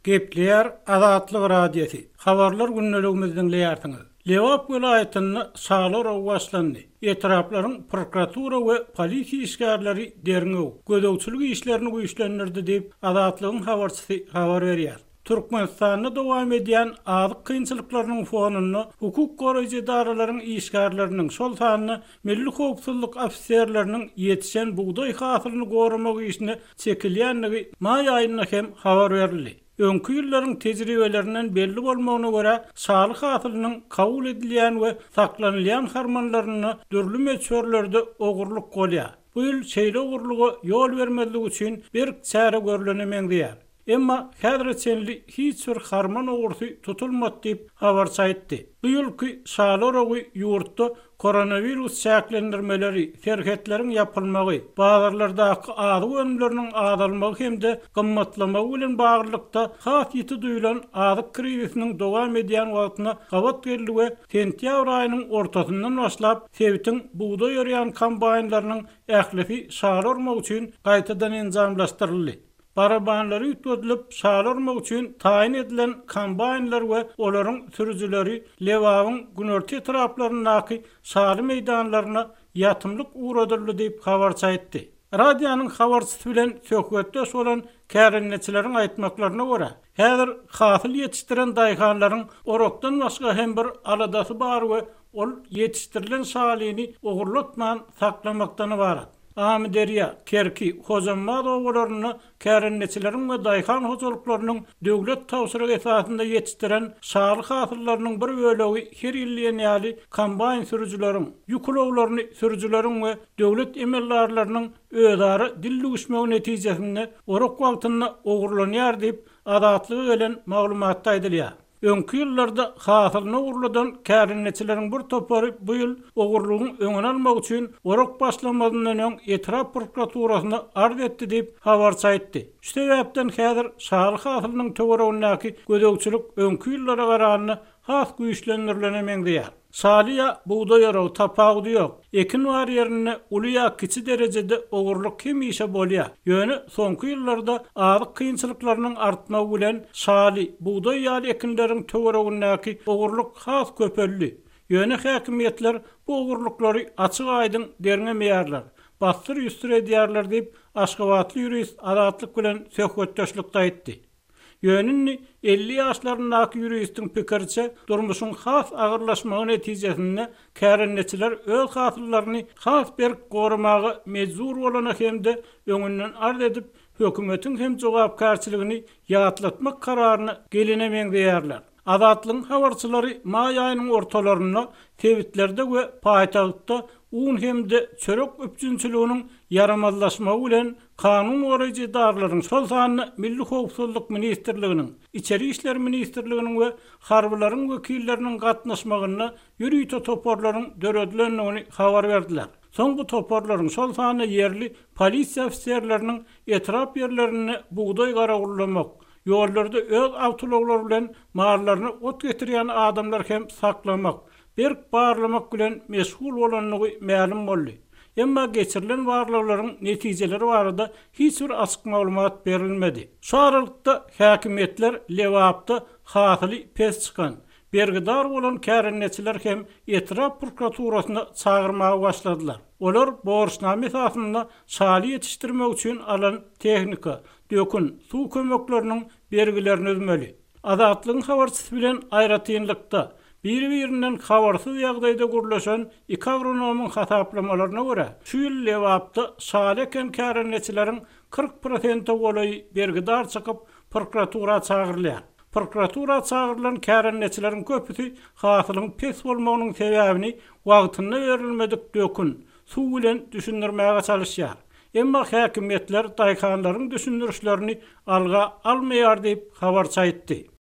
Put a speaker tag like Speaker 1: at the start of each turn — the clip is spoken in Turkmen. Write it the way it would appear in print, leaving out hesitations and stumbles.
Speaker 1: Gepleýär Azatlyk Radiosy, Habarlar gündeligimizi diňleýärsiňiz. Lebap welaýatynda şaly oragy başlandy. Etraplaryň prokuratura we polisiýa işgärleri derňew, gözegçilik işlerini güýçlendirdi diýip, Azatlygyň habarçysy habar berýär. Türkmenistanda dowam edýän azyk kynçylyklarynyň fonunda hukuk goraýjy edaralaryň işgärleriniň, şol sanda milli howpsuzlyk ofiserleriniň ýetişen bugdaý hasylyny goramak işine çekilýändigi maý aýynda hem habar berildi. Öňki ýyllaryň tejribelerinden belli bolmagyna görä, şaly hasylynyň kabul edilýän we saklanylýan harmanlarynda dürli möçberlerde ogurlyk bolýar. Bu ýyl şeýle ogurlyga ýol bermezlik üçin berk çäre görlene meňzeýär. Emma häzire çenli hiç bir harman ogrusy tutulmady diýip, habarçy aýtdy. Bu ýylky şaly oragy ýurtda koronawirus çäklendirmeleri, serhetleriň ýapylmagy, bazarlardaky azyk önümleriniň azalmagy hem-de gymmatlamagy bilen baglylykda has ýiti duýlan azyk krizisiniň dowam edýän wagtyna gabat geldi we sentýabr aýynyň ortasyndan başlap sebitiň bugdaý örýän kombaýnlarynyň ählisi şaly ormak üçin gaýtadan enjamlaşdyryldy. Barabanlary üýtgedilip, şaly ormak üçin taýyn edilen kombaýnlar we olaryň sürüjileri Lebabyň günorta etraplaryndaky şaly meýdanlaryna ýatymlyk ugradyldy diýip, habarçy aýtdy. Radionyň habarçysy bilen söhbetdeş bolan kärendeçileriň aýtmaklaryna görä, häzir hasyl ýetişdiren daýhanlaryň orakdan başga hem bir aladasy bar we ol ýetişdirilen şalyny ogurlatman saklamakdan ybarat. Amyderýa, Kerki, Hojambaz obalarynda kärendeçileriň we daýhan hojalyklarynyň döwlet tabşyrygy esasynda ýetişdiren şaly hasyllarynyň bir bölegi her ýyl diýen ýaly kombaýn sürüjileriň, ýük ulaglaryny sürüjileriň we döwlet emeldarlarynyň özara dil düwüşmegi netijesinde orak wagtynda ogurlanýar diýip, Azatlyga gelen maglumatda aýdylýar. Öňki ýyllarda hasylyny ogurladan kärendeçileriň bir topary bu ýyl ogurlygyň öňüni almak üçin orak başlamazyndan öň etrap prokuraturasyna arz etdi diýip, habarçy aýtdy. Şu sebäpden häzir şaly hasylynyň töweregindäki gözegçilik öňki ýyllara garanda has güýçlendirilene meňzeýär. Şaly ýa bugdaý oragy tapawudy ýok. Ekin bar ýerinde uly ýa kiçi derejede ogurlyk hemişe bolýar. Ýöne soňky ýyllarda azyk kynçylyklarynyň artmagy bilen şaly, bugdaý ýaly ekinleriň töweregindäki ogurlyk has köpeldi. Ýöne häkimiýetler bu ogurlyklary açyk-aýdyň derňemeýärler, bassyr-ýüsdür edýärler diýip, aşgabatly ýurist Azatlyk bilen söhbetdeşlikde aýtdy. Ýöne indi 50 ýaşlaryndaky ýuristiň pikiriçe, durmuşyň has agyrlaşmagy netijesinde kärendeçiler öz hasyllaryny has berk goramaga mejbur bolana hem-de öňünden arz edip, hökümetiň hem jogapkärçiligini ýatlatmak kararyna gelene meňzeýärler. Azatlygyň habarçylary maý aýynyň ortalarynda sebitlerde we paýtagtda un hem-de çörek üpjünçiliginiň ýaramazlaşmagy bilen kanun goraýjy edaralaryň, şol sanda Milli howpsuzlyk ministrliginiň, Içeri işler ministrliginiň we harbylaryň wekilleriniň gatnaşmagynda ýörite toparlaryň döredilendigini habar berdiler. Soň bu toparlaryň, şol sanda ýerli polisiýa ofiserleriniň etrap ýerlerinde bugdaý garawullamak, Ýollarda öz awtoulaglary bilen mallaryna ot getirýän adamlary hem saklamak, berk barlamak bilen meşgul bolandygy mälim boldy. Emma geçirilen barlaglaryň netijeleri barada hiç bir açyk maglumat berilmedi. Şu aralykda, häkimiýetler Lebapda hasyly pes çykan, bergidar bolan kärendeçiler hem etrap prokuraturasyna çagyrmaga başladylar. Olar borçnama esasynda şaly ýetişdirmek üçin alan tehnika, dökün, suw kömekleriniň bergilerini üzmeli. Azatlygyň habarçysy bilen aýratynlykda, biri-birinden habarsyz ýagdaýda gürleşen iki agronomyň hasaplamalaryna görä, şu ýyl Lebapda şaly eken kärendeçileriň 40 prosente golaýy bergidar çykyp, prokuratura çagyrylýar. Prokuratura çagyrylan kärendeçileriň köpüsi hasylyň pes bolmagynyň sebäbini wagtynda berilmedik dökün, suw bilen düşündirmäge çalyşýar. Emma häkimiýetler daýhanlaryň düşündirişlerini alga almaýar diýip, habarçy aýtdy.